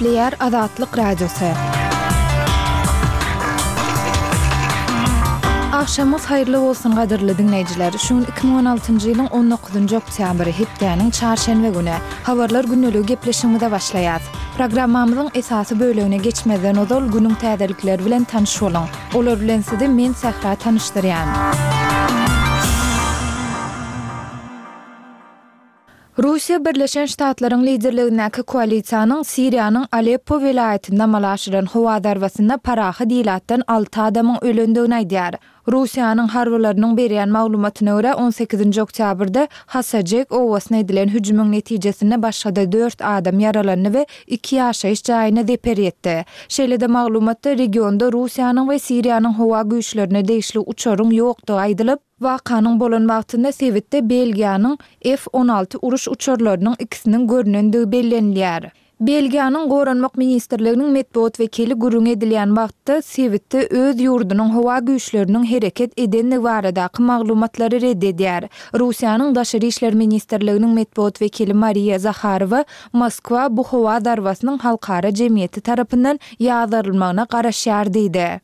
Gepleýär Azatlyk Radiosy. Agşamyňyz haýyrly bolsun gadyrly diňleýjiler! Şu gün 2016-njy ýylyň on dokuzynjy oktýabry, hepdäniň çarşenbe güni. Habarlar gündeligi gepleşigimize başlaýas. Programmamyzyň esasy bölegine geçmezden ozal günüň täzelikleri bilen tanyş boluň. Olar bilen sizi men Sähra tanyşdyrýan. Russiýa Birleşen Ştatlaryň liderligindäki koalisiýanyň Siriýanyň Aleppo welaýatynda amala aşyran howa zarbasynda parahat ilatdan alty adamyň ölendigini aýdýar. Russiýanyň harbylarynyň berýän maglumatyna görä, on sekizinji oktýabrda Hasajek obasyna edilen hüjümiň netijesinde başga-da dört adam ýaralandy we iki ýaşaýyş jaýyna zeper ýetdi. Şeýle-de maglumatda regionda Russiýanyň we Siriýanyň howa güýçlerine degişli uçaryň ýokdugy aýdylyp, Wakanyň bolan wagtynda sebitde Belgiýanyň F 16 uruş uçarlarynyň ikisiniň görnendigi bellenilýär. Belgiýanyň Goranmak ministrliginiň metbugat wekili gürrüň edilýän wagtda sebitde öz ýurdunyň howa güýçleriniň hereket edendigi baradaky maglumatlary red edýär. Russiýanyň Daşary işler ministrliginiň metbugat wekili Mariýa Zaharowa Moskwa bu howa zarbasynyň halkara jemgyýeti tarapyndan ýazgarylmagyna garaşýar diýdi.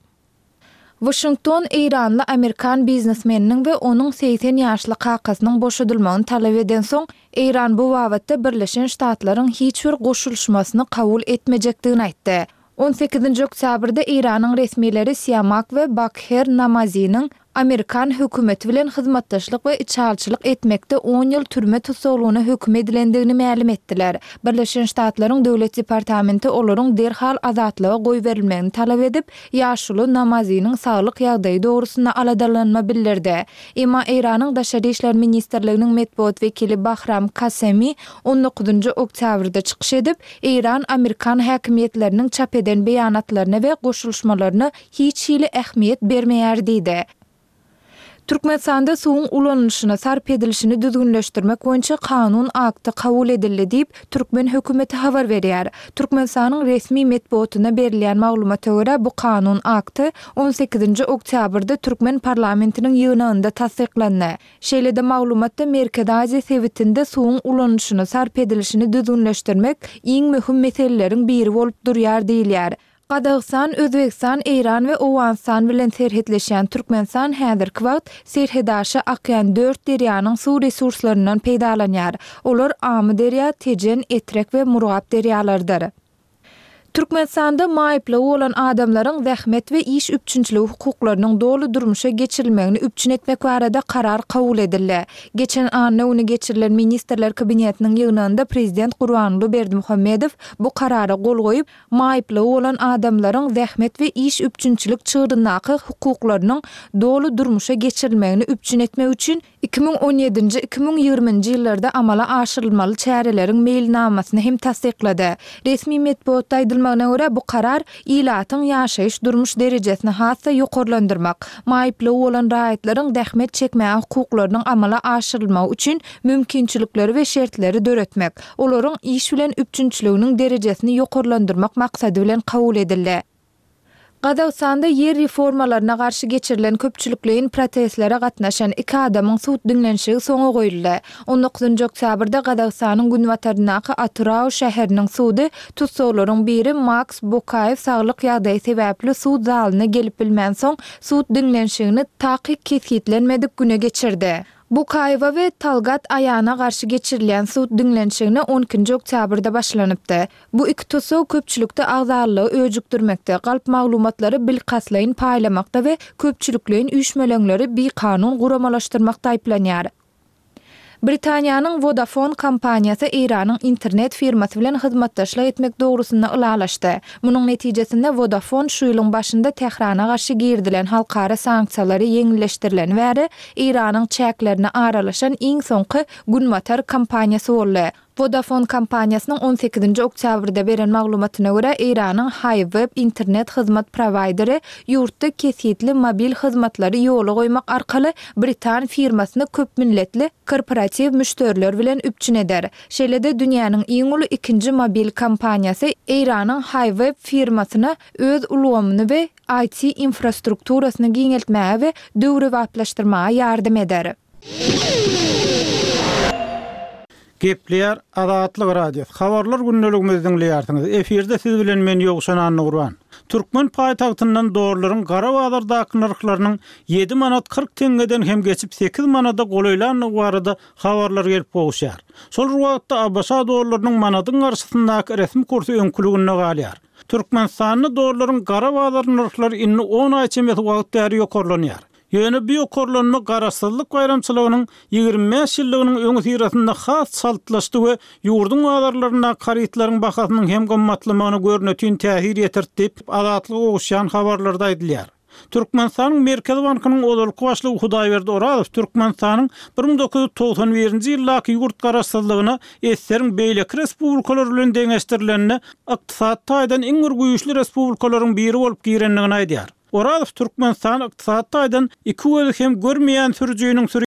Waşington eýranly amerikan biznesmeniniň we onuň 80 ýaşly kakasynyň boşadylmagyny talap edensoň, Eýran bu babatda Birleşen Ştatlaryň hiç bir goşulyşmasyny kabul etmejekdigini aýtdy. On sekizinji oktýabrda Eýranyň resmileri Siamak we Bakher Namaziniň amerikan hökümeti bilen hyzmatdaşlyk we içalyçylyk etmekde on ýyl türme tussaglygyna höküm edilendigini mälim etdiler. Birleşen Ştatlaryň Döwlet departamenti olaryň derhal azatlyga goýberilmegini talap edip, ýaşuly Namaziniň saglyk ýagdaýy dogrusynda aladalanma bildirdi. Emma Eýranyň Daşary işler ministrliginiň metbugat wekili Bahram Kasemi on dokuzynjy oktýabrda çykyş edip, Eýran amerikan häkimiýetleriniň çap eden beýanatlaryna we goşulyşmalaryna hiç hili ähmiýet bermeýär diýdi. Türkmenistanda suwuň ulanylyşyny, sarp edilişini düzgünleşdirmek boýunça kanun akty kabul edildi diýip, türkmen hökümeti habar berýär. Türkmenistanyň resmi metbugatynda berilýän maglumata görä, bu kanun akty on sekizinji oktýabrda türkmen parlamentiniň ýygnagynda tassyklandy. Şeýle-de maglumatda Merkezi Aziýa sebitinde suwuň ulanylyşyny, sarp edilişini düzgünleşdirmek iň möhüm meseleleriň biri bolup durýar diýilýär. Gazagystan, Özbegistan, Eýran we Owganystan bilen serhetleşýän Türkmenistan häzirki wagt serhetaşa akýan dört derýanyň suw resurslaryndan peýdalanýar. Olar Amyderýa, Tejen, Etrek we Murgap derýalarydyr. Türkmenistanda maýyplygy bolan adamlaryň zähmet we iş üpjünçiligi hukuklarynyň doly durmuşa geçirilmegini üpjün etmek barada karar kabul edildi. Geçen anna güni geçirilen Ministrler Kabinetiniň ýygnagynda Prezident Gurbanguly Berdimuhamedow bu karara gol goýup, maýyplygy bolan adamlaryň zähmet we iş üpjünçilik çygryndaky hukuklarynyň doly durmuşa geçirilmegini üpjün etmek üçin 2017-nji, 2020-nji ýyllarda amala aşyrylmaly çäreleriň meýilnamasyny hem tassyklady. Resmi metbugatda aýdylmagyna görä, bu karar ilatyň ýaşaýyş-durmuş derejesini has-da ýokarlandyrmak, maýyplygy bolan raýatlaryň zähmet çekmäge hukuklarynyň amala aşyrylmagy üçin mümkinçilikleri we şertleri döretmek, olaryň iş bilen üpjünçiliginiň derejesini ýokarlandyrmak maksady bilen kabul edildi. Gazagystanda ýer reformalaryna garşy geçirilen köpçülikleýin protestlere gatnaşan iki adamyň sud diňlenişigi soňa goýuldy. On dokuzynjy oktýabrda Gazagystanyň günbataryndaky Atyrau şäheriniň sudy tussaglaryň biri Maks Bokaýew saglyk ýagdaýy sebäpli sud zalyna gelip bilmänsoň, sud diňlenişigini takyk kesgitlenmedik güne geçirdi. Bukaýewa we Talgat Aýana garşy geçirilýän sud diňlenişigine on ikinji oktýabrda başlanypdy. Bu iki tussag köpçülikde agzalylygy öjükdirmekde, galp maglumatlary bilkastlaýyn paýlamakda we köpçülikleýin üýşmeleňleri bikanun guramalaşdyrmakda aýyplanýar. Britaniýanyň Vodafone kompaniýasy Eýranyň internet firmasy bilen hyzmatdaşlyk etmek dogrusynda ylalaşdy. Munuň netijesinde Vodafone şu ýylyň başynda Tährana garşy girizilen halkara sanksiýalary ýeňilleşdirileni bäri Eýranyň çäklerine aralaşan iň soňky günbatar kompaniýasy boldy. Vodafone kompaniýasynyň on sekizinji oktýabrda beren maglumatyna görä, Eýranyň HiWeb internet hyzmat prowaýderi ýurtda kesgitli mobil hyzmatlary ýola goýmak arkaly britan firmasyny köpmilletli korporatiw müşderiler bilen üpjün eder. Şeýle-de dünýäniň iň uly ikinji mobil kompaniýasy Eýranyň HiWeb firmasyna öz ulgamyny we IT-infrastrukturasyny giňeltmäge we döwrebaplaşdyrmaga ýardam eder. Gepleýär Azatlyk Radiosy. Habarlar gündeligimizi diňleýärsiňiz. Efirde siz bilen men Ýowşan Annagurban. Türkmen paýtagtyndan dollaryň gara bazardaky nyrhlarynyň ýedi manat 40 teňňeden hem geçip sekiz manada golaýlandygy barada habarlar gelip gowuşýar. Şol bir wagtda ABŞ dollarynyň manadyň garşysyndaky resmi kursy öňküliginde galýar. Türkmenistanda dollaryň gara bazar nyrhlary indi on aý çemesi wagt bäri ýokarlanýar. Ýöne bu ýokarlanma Garaşsyzlyk baýramçylygynyň 25 ýyllygynyň öňüsyrasynda has çaltlaşdy we ýurduň bazarlaryndaky harytlaryň bahasynyň hem gymmatlamagyna görnetin täsir ýetirdi diýip, Azatlyga gowuşýan habarlarda aýdylýar. Türkmenistanyň Merkezi bankynyň ozalky başlygy Hudaýberdi Orazow Türkmenistanyň 1991-nji ýyldaky ýurt garaşsyzlygyna ssr-iň beýleki respublikalary bilen deňeşdirilende ykdysady taýdan iň bir güýçli respublikalaryň biri bolup girendigini aýdýar. Orazow Türkmenistan ykdysady taýdan iki gözi hem görmeýän sürüjiniň sürýän.